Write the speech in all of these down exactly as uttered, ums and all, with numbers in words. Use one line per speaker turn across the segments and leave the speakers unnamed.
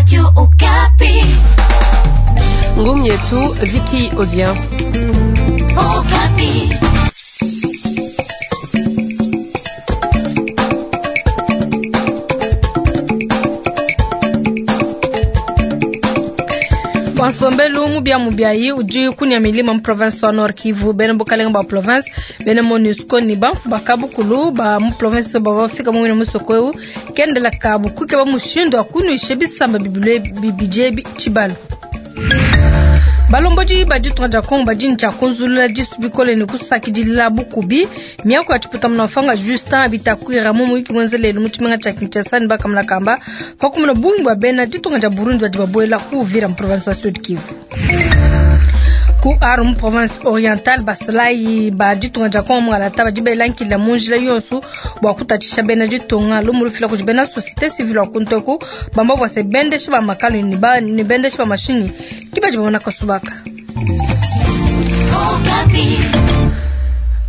Radio Okapi.
Ngumu yetu Vicky Odien.
Okapi.
Nsombelu mubia mubiayi udi kunya milima mu province wa Nord Kivu bena bukalenga ba province bena MONUSCO ni banfu bakabukulu ba mu province bavafika mumwina musoko eu kendela kabu kukeba mushindu wa kunuisha bisamba bibile bibidi ebi tshibalo. Balombodi ba ditunga dia Kongo badi ne tshia kunzulula disu bikole ne kusakidila bukubi miaku ya tshiputa munafanga Justin Bitakwira mu muyuki muenza lelu mu tshimenga tshia Kinshasa ne bakamulakamba pa kumona bungi bua bena ditunga dia Burundi badi babuela ku Uvira mu province wa Sud Kivu. Ku Aru mu province orientale basalayi ba ditunga dia Kongo mungalata badi belankila mu njila yonso bua kutatshisha bena ditunga lumu lufila kudi bena société civile wa kunteku bamba bua se bendesha ba makalu ne ba ne bendesha ba mashinyi ki badi babona kasubaka.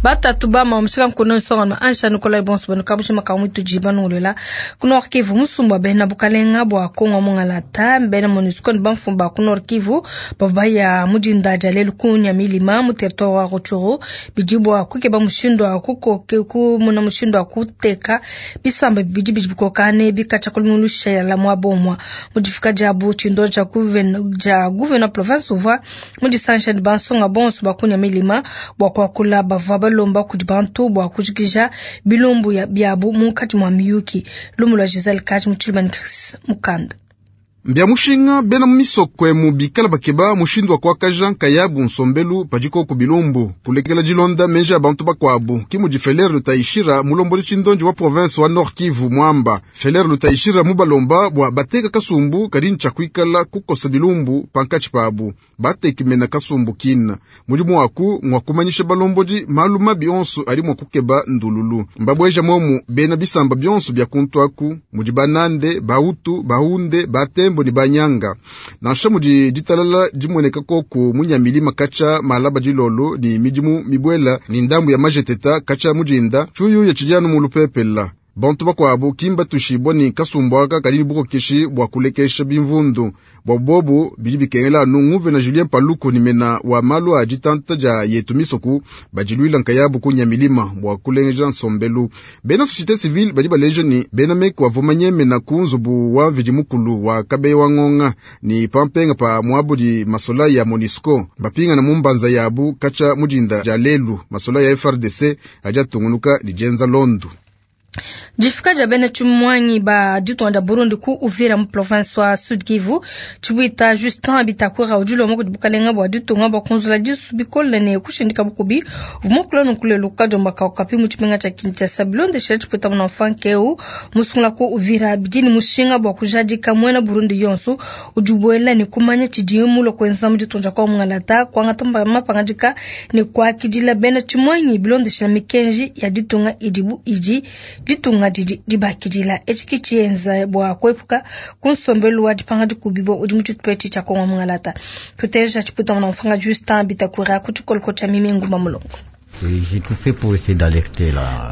Batatu ba mamushika nkono nsonga no ansha Nikolai Bonso bano kabushi makamu tujiba nongolela ku Nord Kivu musumba bena bukalenga bua Kongo mungalata bena MONUSCO ne bamfumba ku Nord Kivu bavua ya mudinda dia lelu kunya milima mu territoire wa Rutshuru bidi bua kukeba mushindu wa kukoke kumuna mushindu wa kuteka bisamba bibidi bidi bikokane bikatsha kulumusha la mwabomwa mudifika diabu tshindo dia gouverneur dia gouverneur province uvua mudisansha ne bansonga bonso bakunya milima bua kuakula bavua balomba kudi bantu bua kujikija bilumbu biabu munkatshi mua miyuki. Lumu lua Giselle Kaji mu Tshilumani Chris Mukanda.
Mbia mushinga bena misoko emu bikala bakeba mushindu wa kuakaja nkayabu nsombelu padiko ku bilumbu kulekela dilonda menji a bantu bakuabu kimudi Feller Lutaishira mulomboli tshindonji wa province wa Nord Kivu mwamba Feller Lutaishira mubalomba bua bateka kasumbu kadi ntshia kuikala kukosa bilumbu pankatshi pabu batekimena kasumbu kina mudimu waku ngwa kumanyisha balombodi malu mabi onso ali mua kukeba ndululu mbabweja momu bena bisamba bionso bia kuntuaku mudi banande bautu bahunde batembo ni banyanga nansha mudi ditalala dimueneka koku munyamilima katsha malaba dilolo ni midimu mibwela ni ndambu ya majeteta katsha mudinda tshuyu ya tshidianu mu lupepela bantu bakuabu kimba tushibwa ni kasumbu aka kadi ni bukokeshi bua kulekesha bimvundu bua bobu bidi bikengela anu nguvena Julien Paluku ni mena wa malu a ditanta dia yetu misoku badiluila nkayabu kunya milima bua kulengeja nsombelu bena société civile badi baleja ni bena meku avumanye mena ku nzubu wa mvidi mukulu wa kabeya wa ngonga ni pampenga pa muabudi masola ya MONUSCO bapingana mu mbanza yabu katsha mudinda dia lelu masola ya F R D C adi atungunuka lijenza londu.
Difika dia bena tshimuanyi ba ditunga dia Burundi ku Uvira mu province wa Sud Kivu tshibuita Justin Bitakwira udi ulomba kudi bukalenga bua ditunga bua kunzula disu bikole ne kushindika bukubi vumukula nunkulelu kadiomba kapi mu tshimenga tshia Kinshasa bilondeshela tshipuita muna mfankeu musungula ku Uvira bidi ne mushinga bua kujadika muena Burundi yonso udi ubuela ne kumanya tshidi mulue kuenza mu ditunga dia Kongo mungalata kuangata mapangadika ne kuakidila bena tshimuanyi bilondeshela mikenji ya ditunga idibu idi ditunga didi dibakidila etshi ki tshienza bua kuepuka ku nsombelu wa dipanga dikubibo udi mu tshitupa tshia Kongo mungalata. Tuteja tshiputa muna mfanga Justin Bitakwira ku tshikoloko tshia Mimi Nguma Mulongo.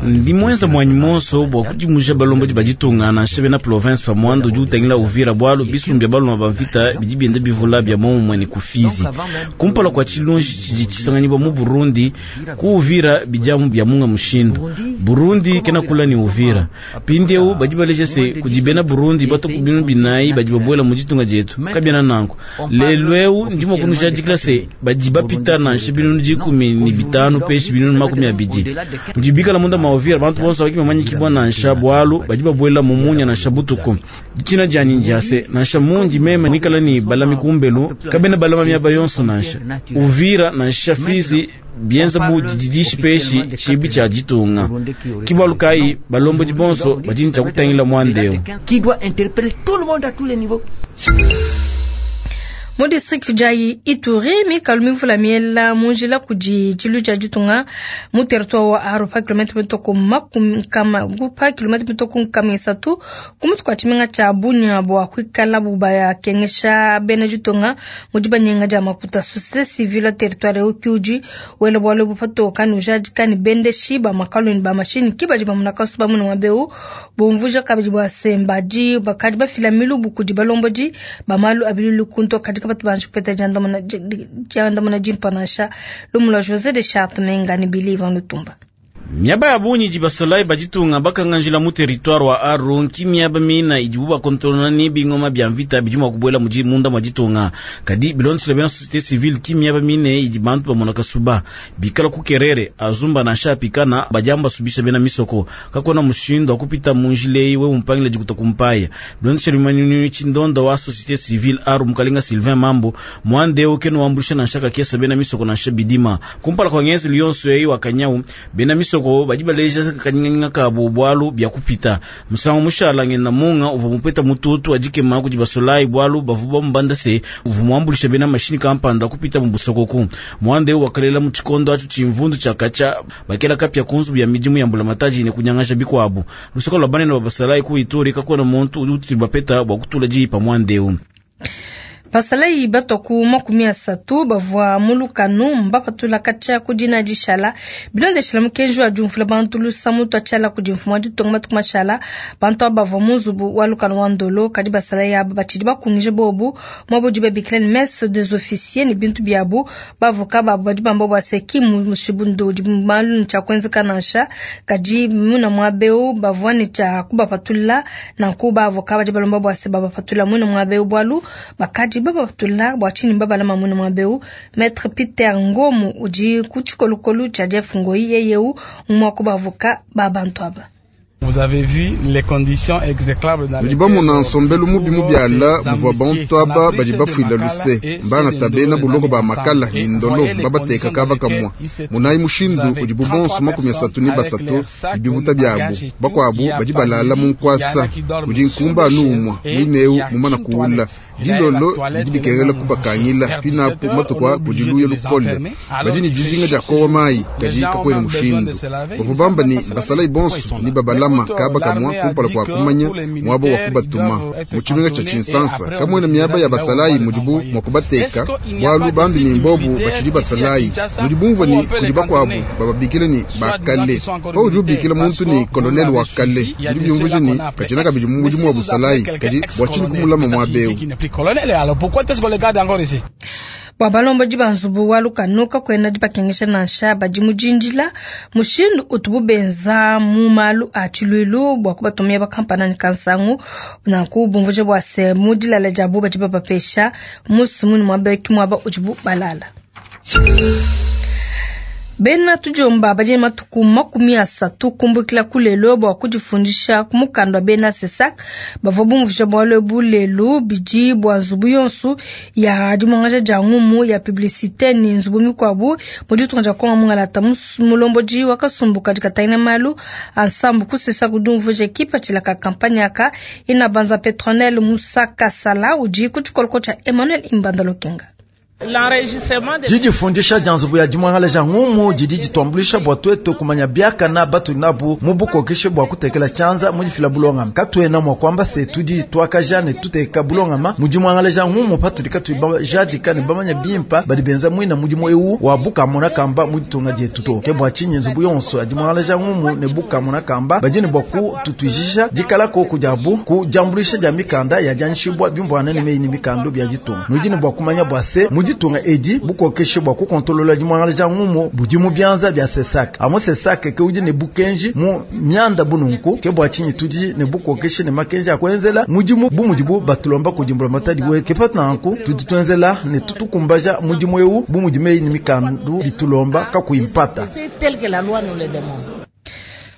Ndi mwenza mwanyi monso bua kudimuja balombodi ba ditunga nansha bena province pa muanda udi utangila Uvira bualu bisumbu bia baluma ba mvita bidi bienda bivula bia momumue ne ku Fizi kumpala kua tshilunji tshidi tshisanganyibwa mu Burundi ku Uvira bidiamu bia munga mushindu Burundi kena kula ni Uvira pindiewu badi baleja se kudi bena Burundi batoku binu binayi badi babuela mu ditunga dietu kabiena nanku lelu eu ndi mua kunujadikila se badi bapita nansha binunu dikumi ni bitanu peshi binunu makumi abidi mudibikala munda mwa Uvira bantu bonso baki bamanyikibwa nansha bualu badi babuela mu munya nansha butuku ditshina dianyi ndiase nansha mundi meme mwikala ni balami kumbelu kabena balama miaba yonso nansha Uvira nansha Fizi bienza bu dididishi peshi tshibi tshia ditunga kibalu kai balombodi bonso badi ntshia kutangila mwandeo
qui doit interpeller tout le monde à tous les niveaux.
Mu district dia Ituri, mikalu mivula miela mu njila kudi tshilu tshia ditunga mu territoire wa Aru pa kilomètre mitoko makumi nkama pa kilomètre mitoko nkama isatu ku mutu kua tshimenga tshia Bunia bua kuikala bu bakengesha bena ditunga mu dibanyenga dia makuta. Société civile territoire eu kiudi wela bualu ebu patoka ne ujadika ne bendeshi ba makalu ne ba mashini ki badi bamuna kasuba muna muaba bumvuja kabidi bua se mbadi bakadi bafila milubu kudi balombodi ba malu a bilulu kunto kadi kabatu banji kupeta diandamuna dimpa nansha. Lumu lua José de Charte Menga ne Billy Ivan Lutumba.
Miaba ya bungi idi basolayi ba ditunga bakanganjila mu territoire wa Aru nki miaba mina idibu bakontrolona ne bingoma bia mvita bidi mua kubuela mudi munda mua ditunga. Kadi bilondeshile bena société civile ki miaba mine idi bantu bamona kasuba bikala ku Kerere azumba nansha apikana badiamba subisha bena misoko kakona mushindu wa kupita mu njila eyi we umpangila dikuta kumpaya. Bilondeshile bimanyinu tshindonda wa société civile Aru mukalenga Sylvain Mambo muande keno wambulisha nansha kakesa bena misoko nansha bidima kumpala kwa ngezi yonso eyi wakanyau bena misoko badi baleja kanyinga kabo bwalu bya kupita musango mushala ngenda munga uva mupeta mututu adikema kudi basolai bwalu bavuba mbanda se uva muambulisha bena mashini kampanda kupita mu busokoku mwande wakalela mu chikondo acho chimvundu chakacha bakela kapya kunzu bya midimu ya mbula mataji ne kunyangasha bikwabu lusoko lwa banene babasalai ku Ituri kakona muntu uti bapeta bwa kutula jipa mwande.
Basalayi batoku makumi asatu bavua mulukanu mbapatula katshia ku dina dishala bilondeshela mukenji wa diumvula bantu lusa mutu atshiala kudi mfumu wa ditunga matuku mashala. Bantu aba bavua mu nzubu wa lukanu wa ndolo kadi basalayi aba batshidi bakungije bobu muaba udi babikila ne messe des officiers ne bintu biabu. Bavoka babu badi bamba bua se ki mushindu udi malu ne tshia kuenzeka nansha kadi muna muaba eu bavua ne tshia kubapatula nanku bavoka badi balomba bua se babapatula muna muaba eu bualu bakadi babapatula bua tshinyi babalama muna muaba eu. Maître Peter Ngomu udi ku tshikolokolo tshia Jeff Ngoyi yeyeu umua ku bavoka ba bantu aba.
Vous avez vu les conditions exécrables dans
lesquelles bamona nsombelu mubi mubiala muvua bantu aba badi bafuila luse mbanga tabena buloko ba makala ni ndolo babateka kaba kamwa munayi mushindu udi bubonso makumi asatu ni basatu ibibuta byabu bakwabu badi balala mu nkwasa udi nkumba anu umwa mwineu mumana kuula dilolo bidi bikengela kubakangila pinapu matukwa kudi luya lukole badi ni dijinga dia kowa mayi kadi kakwena mushindu bavua bamba ni basalayi bonso ni babalama kaba kamwa kumpala kwa kumanya mwabo wa kubatuma mu tshimenga tsha Tshinsansa kamwena miaba ya basalayi mudibu mwa kubateka bwalu bambi ni mbobu batshidi basalayi mudi bumvua ni kudi bakwabu bababikile ni bakale paudi ubikila muntu ni colonel wa kale bidi byumvuje ni katshina kabidi mu mudimu wa busalayi kadi bua tshinyi kumulama muaba eu.
Bua balombodi ba nzubu wa lukanu kakwena dibakengesha nansha badi mu dindila mushindu utubu benza mu malu a tshiluilu bua kubatumia bakampana ne kansangu nanku bumvuje bua se mu dilala diabu badi babapesha musu muni muaba ki muaba udibu balala. Bena tujomba badi matuku makumi asatu kumbukila kulelo bua kudifundisha ku mukanda wa bena Sesak bavua bumvuje bualu ebu lelu bidi bua nzubu yonso ya dimuangaja dia ngumu ya publicité ni nzubu mikuabu mu ditunga dia Kongo mungalata. Mulombodi wa kasumbu kadi katangila malu ansambu ku Sesak udi umvuija kipatshila ka kampanye aka ina banza Petronel Musa Kasala udi ku tshikoloko tshia Emmanuel Imbanda Lokenga.
Didifundisha dia nzubu ya dimuangalaja ngumu didi dituambulisha bua tuetu kumanya biakana batu nabu mu bukokeshe bua kutekela tshianza mu difila bulongama. Katuena mua kuamba se tudi tuakaja ne tuteka bulongama mu dimuangalaja ngumu patudi katuyi bajadika ne bamanya bimpa badi benza muina mudimu eu wa bukamona kamba mu ditunga dietu to. Ke bua tshinyi nzubu yonso ya dimuangalaja ngumu ne bukamona kamba badi ne bua kututuijisha dikala koku diabu ku diambulisha dia mikanda ya dianyishibua bimvuana ne meyi ne mikando bia ditunga. Nudi ne bua kumanya bua se mu ditunga edi bukokeshe bua kukontolola dimuangalaja ngumu budi mu bianza bia Sesak. Amo Sesak ke udi ne bukenji mu mianda bununku ke bua tshinyi tudi ne bukokeshe ne makenji a kuenzela mudimu bu mudibu batulomba kudimbula matadi we ke patanku tudi tuenzela ne tutukumbaja mudimu eu bu mudi meyi ne mikandu bitulomba kakuyimpata.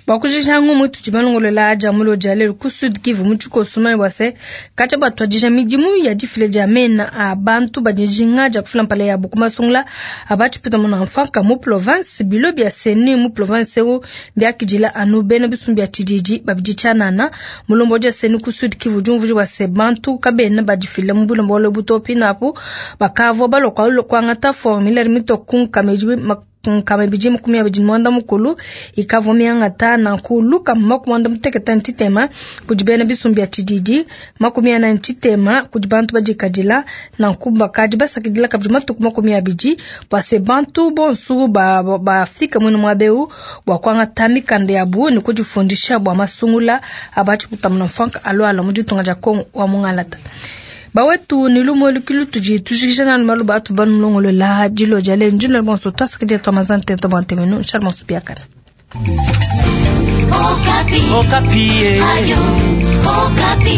Bua kujikija ngumu itudi balongolola dia mulo dia lelu ku Sud Kivu mu tshikoso mane bua se katshia batuadija midimu ya difila dia mena a bantu badi dijinga dia kufila mpala yabu ku masungula a batshipita muna mfanka mu province bilo bia CENI mu province eu biakidila anu bena bisumbu bia tshididi babidi tshianana. Mulombodi wa CENI ku Sud Kivu udi umvuija bua se bantu kabena badifila mu bulombo butopi napu bakavua balua kuangata formulaire mitoku nkama nkama ibidi makumi abidi ne muanda mukulu ikavua miangata nanku lukama makumi muanda mutekete ne tshitema kudi bena bisumbu bia tshididi makumi anayi ne tshitema kudi bantu badikadila nanku bakadi basakidila kabidi matuku makumi abidi bua se bantu bonso bafika muine muaba eu bua kuangata mikanda yabu ne kudifundisha bua masungula a batshiputama mfanka alualua mu ditunga dia Kongo wa mungalata. Bawetu ni lumo lukilu tudi tujikija nanu malu batu banulongolola dilo dia lelu ndilo bonso twasakidila twa mazante twa bantemenu nshala bonso biakana.
Okapi. Okapi. Ayo, Okapi.